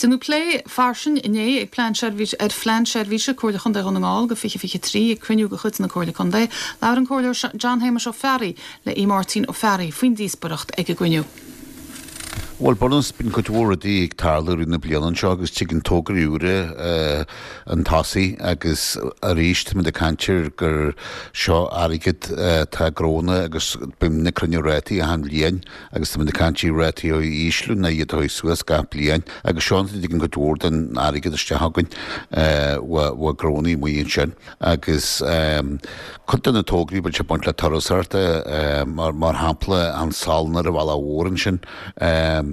Déanadh plé fairsing inné ag plean seirbhíse ar Phlean Seirbhíse Comhairle Chontae Dhún na nGall go 2023 ag cruinniú de chuid na Comhairle Contae. Labhair an Comhairleoir John Shéamuis Ó Fearraigh le Aodh Máirtín Ó Fearraigh faoin díospoireacht ag an gcruinniú. Bhuel, bunús, bíonn cuid mhór rudaí ag tarlú i rith na bliana anseo agus tigeann tograí úra chun tosaigh agus arís táimid ag caint ar gur seo airgead atá gnónna agus bíonn ag cruinniú rátaí achan bhliain agus táimid ag caint ar rátaí a ísliú ná iad a chur suas gach bliain agus seo an a dtigeann cuid mhór den airgead isteach againn ó gnónnaí amuigh ansin. Agus cuid de na tograí, bíonn sé ag baint le turasóireacht, mar shampla an salann ar an Bhealach Mhór ansin,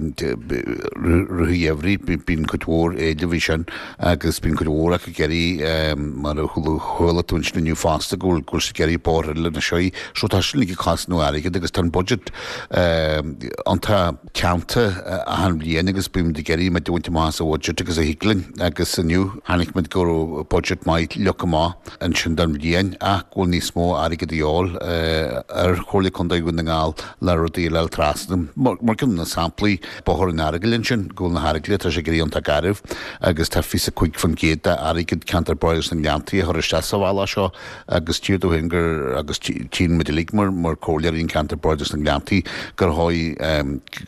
rith an gheimhridh, bíonn cuid mhór éilimh air sin agus bíonn cuid mhór acu ag iarraidh, mar a chuala tú ansin inniu fosta, go bhfuil siad ag iarraidh bóithre eile anois. So tá sin uilig ag cosnú airgid agus tá an budget iontach teannta achan bhliain agus bímid ag iarraidh muid a bhaint amach as an bhudget agus a thig linn agus inniu chonaic muid go raibh budget maith leagtha amach ansin don bhliain ach go bhfuil níos mó airgid a dhíobháil ar Chomhairle Contae Dhún na nGall le rudaí a fháil trasna. Mar ceann de na samplaí, Bóthar an Earagail ansin, go bhfuil na hEaragaile, tá sé ag éirí iontach garbh agus tá 25% d'airgead Ceantar Bardais na nGleanntaí a chur isteach sa bhealach seo Agus tíodh tú féin gur, agus tchíonn muid uilig mar, mar comhairleoirí an ceantar Bardais na nGleanntaí, gur dhóigh,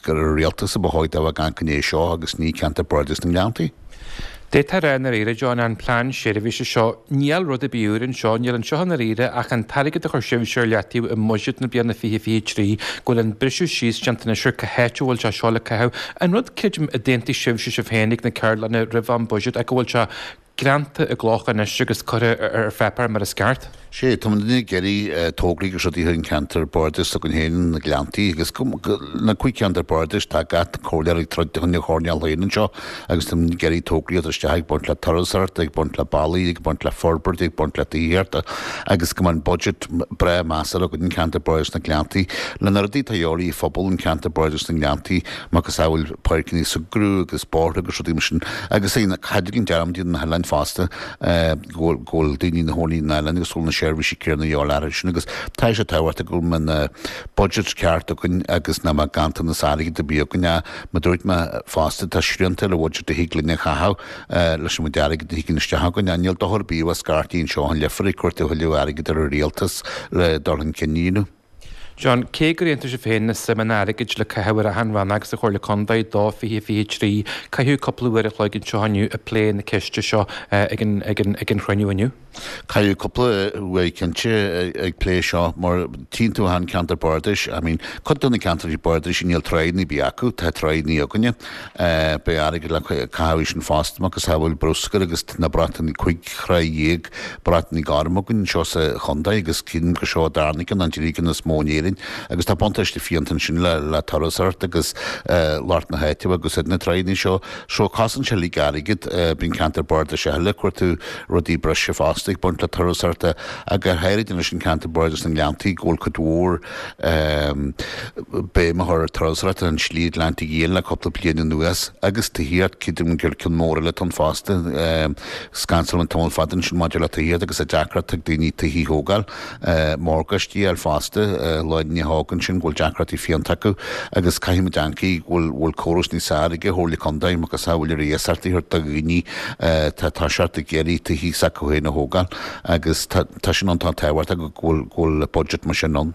gur an rialtas a ba dhóigh dá bheadh amharc i ndiaidh seo agus ní ceantar Bardais na nGleanntaí. D'fhéadfá a rá i ndáiríre, John, an plean seirbhíse seo, níl rud ar bith úr anseo, níl anseo i ndáiríre ach an t-airgead a chuir sibhse ar leataobh i mbuiséad na bliana 2023, go bhfuil an briseadh síos déanta anois ar cá háit a bhfuil sé seo le caitheamh. An rud, creidim, a d'aontaigh sibhse sibh féin ag na ceardlanna roimh an buiséad ach go bhfuil sé greanta i gcloch anois agus curtha ar pháipéar mar is ceart. Sé, tá muid ag iarraidh tograí agus rudaí ar an ceantar bardais s'againn féin, na Gleanntaí agus na cúig cheantar bardais, tá gach comhairleoir ag troid chun a choirnéal féin anseo agus tá muid ag iarraidh tograí a chur isteach ag baint le turasóireacht, ag baint le bealaí, ag baint le forbairt, ag baint le tithíocht agus go mbeidh an budget breá measartha againn an ceantar bardais na Gleanntaí. Le na rudaí atá a dhíobháil ar phobal an ceantar bardais na nGleanntaí, macasamhail páirceanna súgartha agus bóithre agus rudaí mar sin agus caithfidh an dearmad a dhéanamh na hoileáin fosta go bhfuil daoine ina chónaí na hoileáin agus go bhfuil na seirbhísí céanna a dhíobháil orthu sin agus tá sé tábhachtach go bhfuil na budgets ceart againn agus nach mbeadh ganntanas airgid ar bith againn ach mar dúirt mé fosta tá srianta ar an bhudget a thig linn a chaitheamh leis an méid airgid a thigeann isteach againn ach níl dochar ar bith a bheith scairtí anseo an Leifear ag cuartú a thuilleadh airgid ar an rialtas le dul chun cinn a dhéanamh. John, cé gur aontaigh sibh féin na suimeanna airgid le caitheamh ar achan rannóg sa Chomhairle Contae do 2023, caitheadh cúpla uair a chloig anseo inniu ag plé na ceiste seo ag an ag an ag an chruinniú inniu. Caitheadh cúpla uair cinnte ag plé seo mar tchíonn tú achan ceantar bardais, I mean cuid de na ceantracha bardais níl tráigheanna ar bith acu, tá tráigheanna againne, beidh airgead le caitheamh ansin fosta macasamhail bruscar agus na bratanna 15 thráigh Brat Gorm againn anseo sa chontae agus creidim gur seo an darna ceann, an tríú ceann is mó in Éirinn agus tá buntáiste fiúntach ansin le le turasóireacht agus lucht na háite agus na tráigheanna seo. So cosnaíonn sé uilig airgead, bíonn ceantar bardais eile ag cuartú rudaí breise fosta ag baint le turasóireacht ach go háirid anois an ceantar bardais na nGleanntaí go bhfuil cuid mhór béim á chur ar turasóireacht ar an tSlí Atlantaigh Fhiáin le cúpla bliain anuas agus tithíocht, creidim gur ceann mór eile atá ann fosta. Scansáil an tamall fada ansin maidir le tithíocht agus an deacracht ag daoine tithí a thógáil, morgáistí a fháil fosta, lá inné thóg ansin go bhfuil deacrachtaí fiúntach acu agus caithfidh muid amharc go bhfuil córas níos fearr ag an Chomhairle Contae macasamhail ar iasacht a thabhairt do dhaoine atá ag toiseacht ag iarraidh tithí s'acu féin a thógáil agus tá sin iontach tábhachtach go bhfuil budget mar sin ann.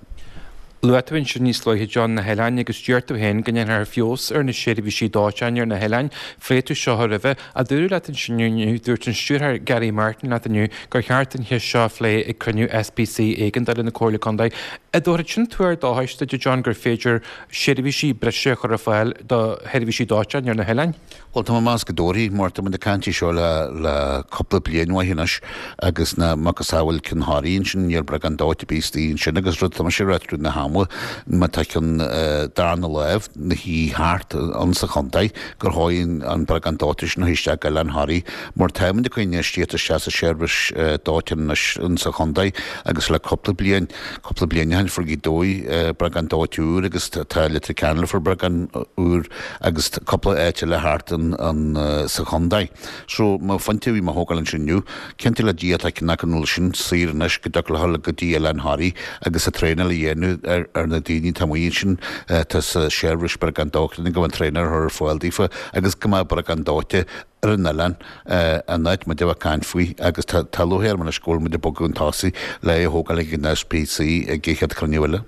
Luaigh tú ansin níos luaithe, John, na hoileáin agus deir tú féin go ndéanfar feabhas ar na seirbhísí dóiteáin ar na hoileáin. Phléigh tú seo roimhe. Ach dúradh leat ansin inniu, dúirt an Stiúrthóir Gary Martin leat inniu gur cheart an cheist seo a phlé ag cruinniú SPC éigeandála na Comhairle Contae. An dtabharfadh sin tuar dóchais duit, a John, gur féidir seirbhísí breise a chur ar fáil do sheirbhísí dóiteáin ar na hoileáin? Bhuel, tá mé ag meas go dtabharfaidh, mar tá muid ag caint faoi seo le le cúpla bliain mhaith anois agus na macasamhail Ceann Thoraí ansin, níl breagán dóite ar bith istigh ansin agus rud tá mise ag rá tríd na hama, má tá ceann darna láimh na thí thart ann sa chontae gur dhóigh an breagán dóite sin a isteach go Oileán Thoraí mar tá muid ag cur infheistíocht isteach sa seirbhís dóiteáin anois ann sa chontae agus le cúpla bliain, cúpla bliain ó shin fuair Gaoth Dobhair breagán dóite úr agus tá Leitir Ceanainn fuair breagán úr. agus cúpla áit eile thart sa chontae. So, mo phointe a bhí mé a thógáil ansin inniu, cinnte le Dia tá ceann acu an bhfuil sin saor anois go dtiocfadh leo go dtí Oileán Thoraí agus an traenáil a dhéanamh. ar na daoine atá amuigh ansin atá sa seirbhís beagán dóite go mbeadh an traenáil á chur ar fáil daofa agus go mbeadh beagán dóite ar an oileán an áit muid a bheith ag caint faoi agus tá lúcháir orm anois go bhfuil muid ag bogadh chun tosaigh le é a thógáil ag an SPC ag an chéad chruinniú eile.